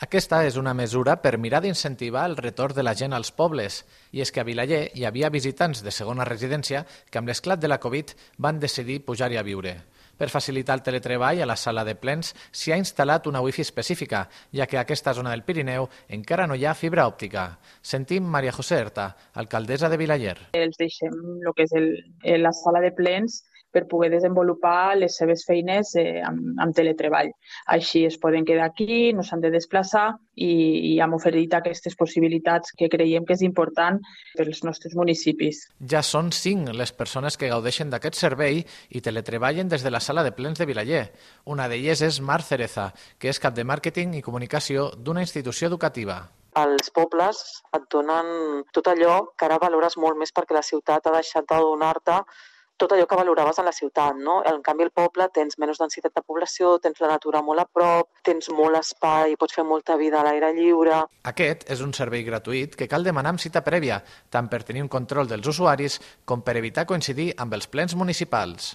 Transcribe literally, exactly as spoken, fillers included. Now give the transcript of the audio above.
Aquesta és una mesura per mirar d'incentivar el retorn de la gent als pobles, i és que a Vilaller hi havia visitants de segona residència que amb l'esclat de la Covid van decidir pujar-hi a viure. Per facilitar el teletreball, a la sala de plens s'hi ha instal·lat una wifi específica, ja que a aquesta zona del Pirineu encara no hi ha fibra òptica. Sentim Maria José Erta, alcaldessa de Vilaller. Els deixem el que és el, la sala de plens per poder desenvolupar les seves feines eh, amb, amb teletreball. Així es poden quedar aquí, no s'han de desplaçar i, i hem oferit aquestes possibilitats que creiem que és important pels nostres municipis. Ja són cinc les persones que gaudeixen d'aquest servei i teletreballen des de la sala de plens de Vilaller. Una d'elles és Mar Cereza, que és cap de màrqueting i comunicació d'una institució educativa. Els pobles et donen tot allò que ara valores molt més perquè la ciutat ha deixat de donar-te tot allò que valoraves en la ciutat, no? En canvi, al poble tens menys densitat de població, tens la natura molt a prop, tens molt espai, pots fer molta vida a l'aire lliure. Aquest és un servei gratuït que cal demanar amb cita prèvia, tant per tenir un control dels usuaris com per evitar coincidir amb els plens municipals.